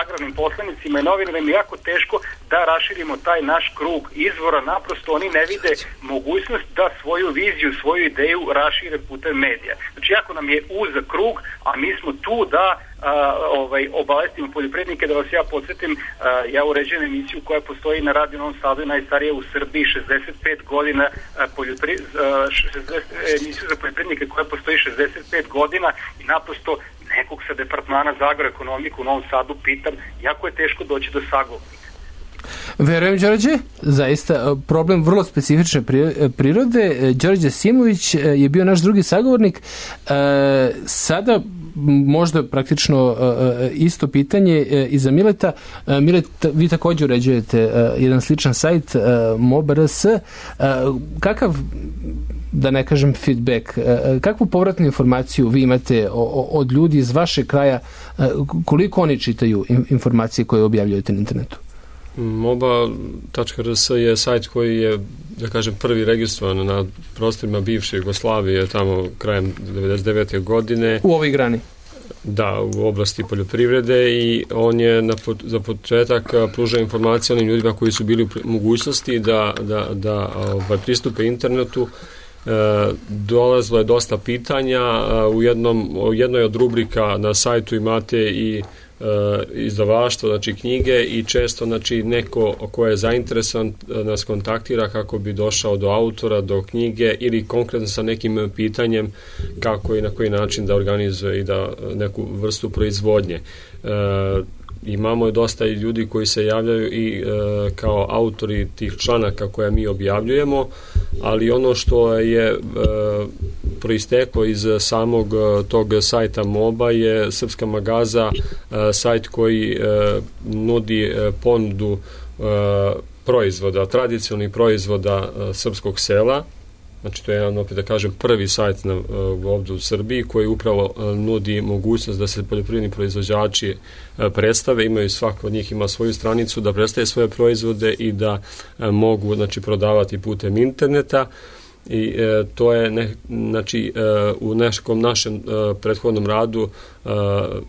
[SPEAKER 12] agrarnim poslanicima i novinarima, je jako teško da raširimo taj naš krug izvora. Naprosto oni ne vide mogućnost da svoju viziju, svoju ideju rašire putem medija. Znači, jako nam je uzak krug, a mi smo tu da obavestimo poljoprivrednike. Da vas ja podsjetim, ja uređujem emisiju koja postoji na Radio Novom Sadu i najstarija u Srbiji, 65 godina, emisiju za poljoprivrednike koja postoji 65 godina i naprosto nekog sa departmana za agroekonomiku u Novom Sadu pitam, jako je teško doći do sagovornika.
[SPEAKER 1] Verujem, Đorđe, zaista problem vrlo specifične prirode. Đorđe Simović je bio naš drugi sagovornik. Sada možda praktično isto pitanje i za Mileta. Milet, vi također uređujete jedan sličan sajt MOBRS. Kakav, da ne kažem feedback, kakvu povratnu informaciju vi imate od ljudi iz vašeg kraja, koliko oni čitaju informacije koje objavljujete na internetu?
[SPEAKER 4] MOBA.rs je sajt koji je, da kažem, prvi registrovan na prostorima bivše Jugoslavije, tamo krajem 99. godine.
[SPEAKER 1] U ovoj grani?
[SPEAKER 4] Da, u oblasti poljoprivrede, i on je za početak pružao informacije onim ljudima koji su bili u mogućnosti da pristupe internetu. Dolazilo je dosta pitanja. U jednoj od rubrika na sajtu imate i izdavaštvo, znači knjige, i često znači neko ko je zainteresovan nas kontaktira kako bi došao do autora, do knjige, ili konkretno sa nekim pitanjem kako i na koji način da organizuje i da neku vrstu proizvodnje. Imamo dosta i ljudi koji se javljaju i kao autori tih članaka koje mi objavljujemo, ali ono što je proisteklo iz samog tog sajta MOBA je Srpska magaza, sajt koji nudi ponudu proizvoda, tradicionalnih proizvoda srpskog sela. Znači, to je jedan, opet da kažem, prvi sajt ovdje u Srbiji koji upravo nudi mogućnost da se poljoprivredni proizvođači predstave, imaju, svako od njih ima svoju stranicu da predstave svoje proizvode i da mogu, znači, prodavati putem interneta. i to je znači u nekom našem prethodnom radu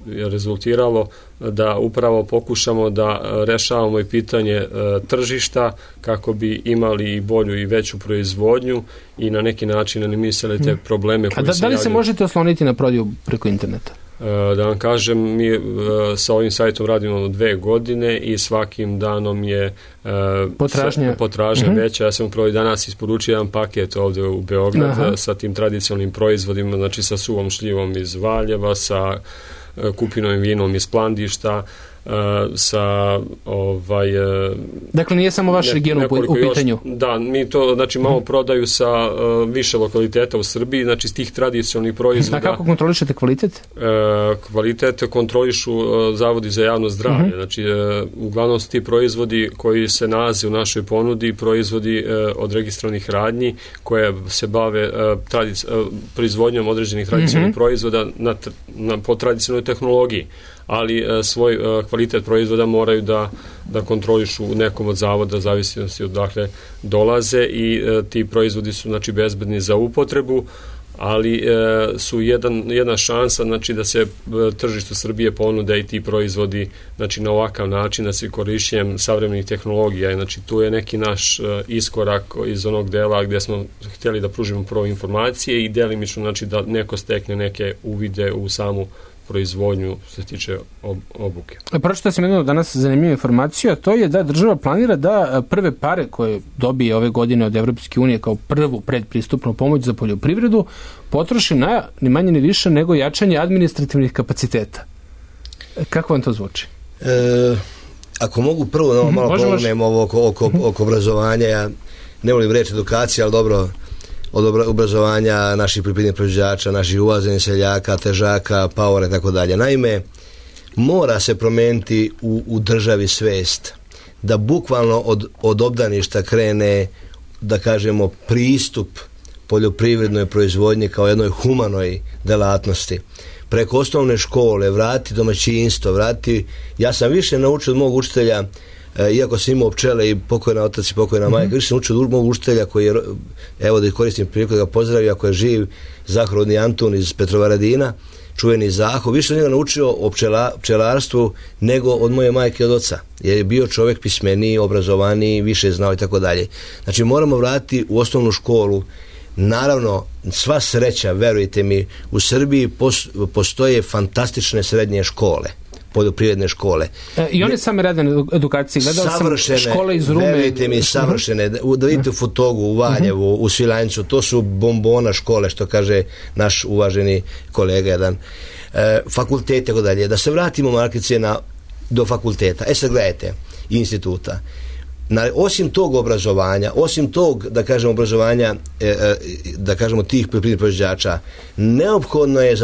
[SPEAKER 4] je rezultiralo da upravo pokušamo da rešavamo i pitanje tržišta kako bi imali i bolju i veću proizvodnju i na neki način animisali te probleme koji se
[SPEAKER 1] da li se možete osloniti na prodaju preko interneta?
[SPEAKER 4] Da vam kažem, mi sa ovim sajtom radimo 2 godine i svakim danom je potražnja veća. Ja sam upravo i danas isporučio jedan paket ovdje u Beograd sa tim tradicionalnim proizvodima, znači sa suvom šljivom iz Valjeva, sa kupinovim vinom iz Plandišta, sa
[SPEAKER 1] dakle nije samo vaš region u pitanju.
[SPEAKER 4] Da, mi to znači malo prodaju sa više lokaliteta u Srbiji, znači s tih tradicionalnih proizvoda.
[SPEAKER 1] A kako kontrolišete kvalitet?
[SPEAKER 4] Kvalitet kontrolišu zavodi za javno zdravlje, znači uglavnom su ti proizvodi koji se nalaze u našoj ponudi, proizvodi od registrovanih radnji koje se bave proizvodnjom određenih tradicionalnih proizvoda po tradicionalnoj tehnologiji, ali svoj kvalitet proizvoda moraju da kontrolišu u nekom od zavoda, zavisnosti odakle dolaze, i ti proizvodi su znači bezbedni za upotrebu, ali su jedna šansa znači da se tržištu Srbije ponude i ti proizvodi znači na ovakav način, da se korišćenjem savremenih tehnologija. Znači tu je neki naš iskorak iz onog dela gdje smo htjeli da pružimo prvo informacije i delimično znači da neko stekne neke uvide u samu proizvodnju što se tiče obuke.
[SPEAKER 1] Pročitao sam jednu danas zanimljivu informaciju, a to je da država planira da prve pare koje dobije ove godine od Evropske unije kao prvu predpristupnu pomoć za poljoprivredu potroši na ni manje ni više nego jačanje administrativnih kapaciteta. Kako vam to zvuči?
[SPEAKER 3] Ako mogu prvo malo pomognem oko obrazovanja, ja ne volim reći edukacija, ali dobro, od obrazovanja naših poljoprivrednih proizvođača, naših uvaženih seljaka, težaka, paora i tako dalje. Naime, mora se promijeniti u državi svest da bukvalno od obdaništa krene, da kažemo, pristup poljoprivrednoj proizvodnji kao jednoj humanoj delatnosti. Preko osnovne škole, vrati domaćinstvo, ja sam više naučio od mog učitelja, iako sam imao pčele i pokojna otac i pokojna majka, više sam učio od mog učitelja koji je, evo da koristim priliku da ga pozdravim, ako je živ, Zahrodni Antun iz Petrovaradina, čuveni Zaho, više sam njega naučio o pčelarstvu nego od moje majke i od oca, jer je bio čovjek pismeniji, obrazovaniji, više znao i tako dalje. Znači moramo vratiti u osnovnu školu. Naravno, sva sreća, verujte mi, u Srbiji postoje fantastične srednje škole, poljoprivredne škole.
[SPEAKER 1] I one same rade na edukaciji. Gledao sam škole iz Rume.
[SPEAKER 3] Verujte mi, savršene. Da vidite u Futogu, u Valjevu, u Svilajncu, to su bombona škole, što kaže naš uvaženi kolega jedan. Fakultet, tako dalje. Da se vratimo, Markice, do fakulteta. Sad gledajte, instituta. Osim tog obrazovanja, osim tog, da kažemo, obrazovanja, da kažemo, tih poljoprivrednih proizvođača, neophodno je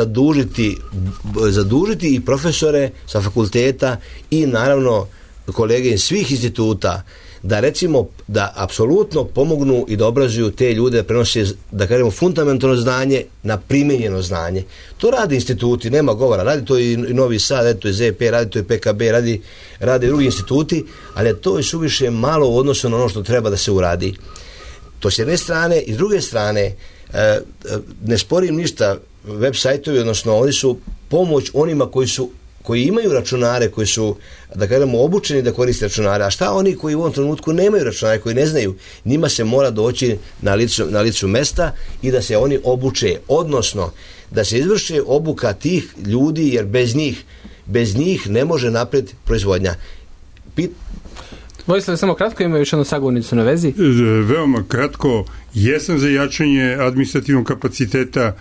[SPEAKER 3] zadužiti i profesore sa fakulteta i naravno kolege iz svih instituta da recimo da apsolutno pomognu i da obrazuju te ljude da prenose, da kažemo, fundamentalno znanje na primenjeno znanje. To rade instituti, nema govora, radi to i Novi Sad, radi to i ZP, radi to i PKB, rade i drugi instituti, ali to je suviše malo u odnosu na ono što treba da se uradi. To s jedne strane, i s druge strane, ne sporim ništa, web sajtovi, odnosno oni su pomoć onima koji imaju računare, koji su, da kažemo, obučeni da koriste računare. A šta oni koji u ovom trenutku nemaju računare, koji ne znaju? Njima se mora doći na licu mesta i da se oni obuče, odnosno da se izvrše obuka tih ljudi, jer bez njih ne može napred proizvodnja.
[SPEAKER 1] Vojislav, samo kratko, ima još jednu sagovornicu na vezi.
[SPEAKER 2] Veoma kratko, jesam za jačanje administrativnog kapaciteta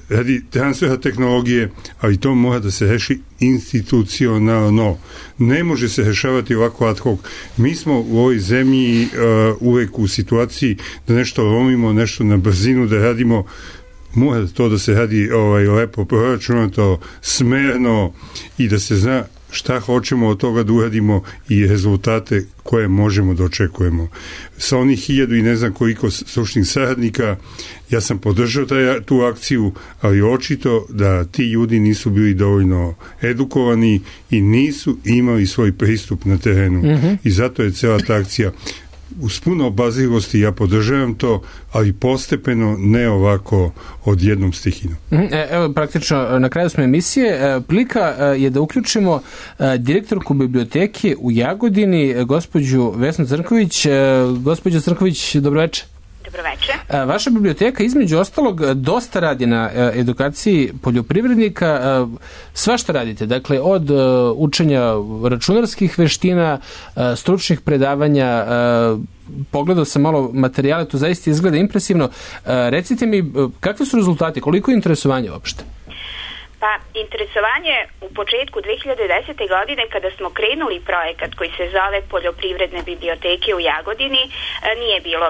[SPEAKER 2] radi transfera tehnologije, ali to mora da se reši institucionalno. Ne može se rešavati ovako ad hoc. Mi smo u ovoj zemlji uvek u situaciji da nešto lomimo, nešto na brzinu da radimo. Mora to da se radi lepo proračunato, smerno i da se zna šta hoćemo od toga da uradimo i rezultate koje možemo da očekujemo. Sa onih 1000 i ne znam koliko stručnih saradnika, ja sam podržao tu akciju, ali očito da ti ljudi nisu bili dovoljno edukovani i nisu imali svoj pristup na terenu. I zato je cela ta akcija uz puno obazrivosti ja podržavam to, ali postepeno, ne ovako odjednom stihinom.
[SPEAKER 1] Evo, praktično, na kraju smo emisije. Prilika je da uključimo direktorku biblioteke u Jagodini, gospođu Vesnu Crnković. Gospođo Crnković, dobroveče.
[SPEAKER 13] Dobroveče.
[SPEAKER 1] Vaša biblioteka, između ostalog, dosta radi na edukaciji poljoprivrednika. Svašta radite, dakle, od učenja računarskih veština, stručnih predavanja, pogledao sam malo materijale, to zaista izgleda impresivno. Recite mi, kakvi su rezultati, koliko je interesovanje uopšte?
[SPEAKER 13] Pa, interesovanje u početku 2010. godine kada smo krenuli projekat koji se zove Poljoprivredne biblioteke u Jagodini nije bilo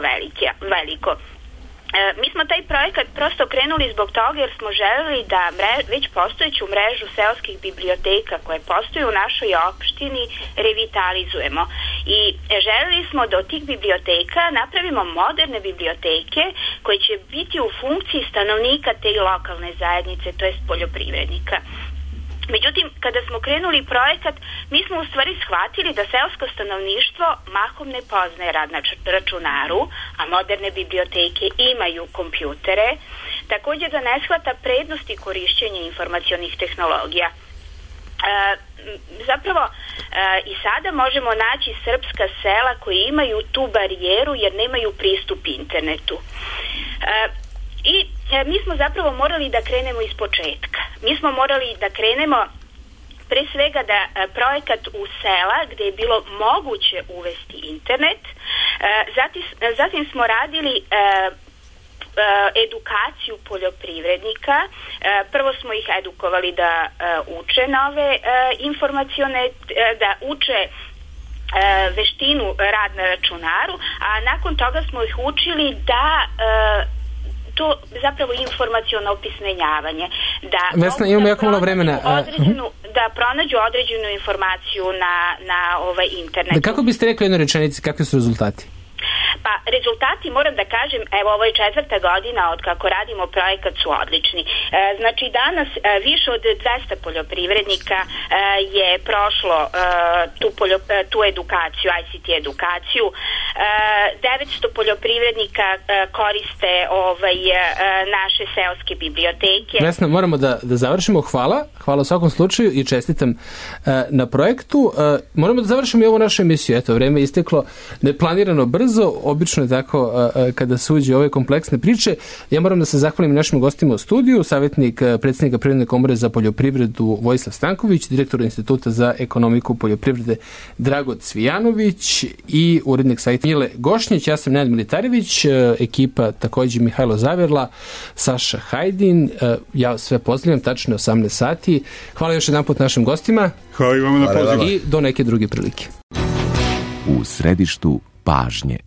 [SPEAKER 13] veliko. Mi smo taj projekat prosto krenuli zbog toga jer smo želeli da već postojeću mrežu seoskih biblioteka koje postoje u našoj opštini revitalizujemo i želeli smo da od tih biblioteka napravimo moderne biblioteke koje će biti u funkciji stanovnika te lokalne zajednice, to jest poljoprivrednika. Međutim, kada smo krenuli projekat, mi smo u stvari shvatili da seosko stanovništvo mahom ne poznaje rad na računaru, a moderne biblioteke imaju kompjutere, također da ne shvata prednosti korišćenja informacionih tehnologija. Zapravo i sada možemo naći srpska sela koji imaju tu barijeru jer nemaju pristup internetu. I mi smo zapravo morali da krenemo iz početka. Mi smo morali da krenemo pre svega da projekat u sela gde je bilo moguće uvesti internet. Zatim smo radili edukaciju poljoprivrednika. Prvo smo ih edukovali da uče nove informacione, da uče veštinu rad na računaru, a nakon toga smo ih učili da to zapravo informaciono opismenjavanje.
[SPEAKER 1] Vesna, imamo jako malo vremena.
[SPEAKER 13] Da pronađu određenu informaciju na internetu.
[SPEAKER 1] Kako biste rekli u jednoj rečenici, kakvi su rezultati?
[SPEAKER 13] Pa rezultati, moram da kažem, evo ovo je 4. godina od kako radimo projekat, su odlični. Znači danas više od 200 poljoprivrednika je prošlo tu edukaciju, ICT edukaciju. 900 poljoprivrednika koriste naše seoske biblioteke.
[SPEAKER 1] Vesna, moramo da završimo. Hvala u svakom slučaju i čestitam na projektu. Moramo da završimo i ovu našu emisiju. Eto, vreme je isteklo neplanirano brzo, obično je tako kada se uđe ove kompleksne priče. Ja moram da se zahvalim našim gostima u studiju, savjetnik predsjednika Privredne komore za poljoprivredu Vojislav Stanković, direktor Instituta za ekonomiku poljoprivrede Drago Cvijanović i urednik sajta Mile Gošnjić. Ja sam Nenad Militarević, ekipa također Mihajlo Zaverla, Saša Hajdin. Ja sve pozdravljam, tačno 18 sati. Hvala još jedan put našim gostima.
[SPEAKER 2] Hvala i vama na pozivu.
[SPEAKER 1] I do neke druge prilike.
[SPEAKER 9] U središtu pažnje.